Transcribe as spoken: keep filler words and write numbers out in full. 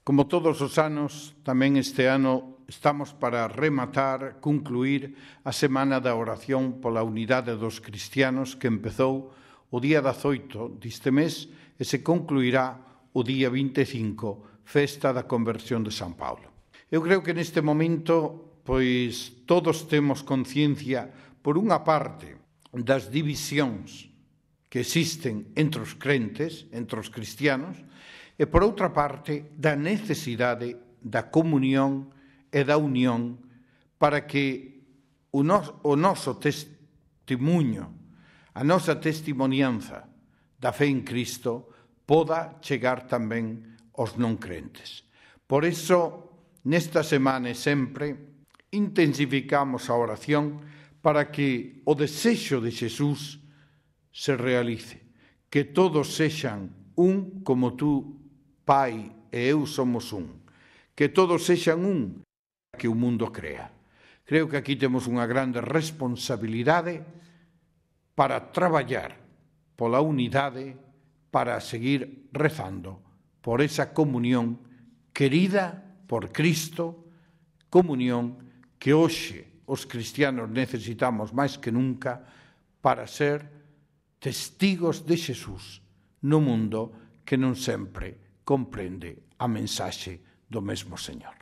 Como todos os anos, tamén este ano estamos para rematar, concluir a Semana da Oración pola Unidade dos Cristianos que empezou o día dezaoito deste mes e se concluirá o día vinte e cinco, festa da conversión de San Paulo. Eu creo que neste momento, pois, todos temos conciencia, por unha parte, das divisións que existen entre os crentes, entre os cristianos, e, por outra parte, da necesidade da comunión e da unión para que o noso testemunho, a nosa testimonianza da fe en Cristo poda chegar tamén aos non crentes. Por iso, nesta semana e sempre, intensificamos a oración para que o desexo de Xesús se realice, que todos sexan un como tú, Pai e eu somos un, que todos sexan un que o mundo crea. Creo que aquí temos unha grande responsabilidade para traballar pola unidade, para seguir rezando por esa comunión querida por Cristo, comunión que hoxe os cristianos necesitamos máis que nunca para ser testigos de Xesús no mundo que non sempre comprende a mensaxe do mesmo Señor.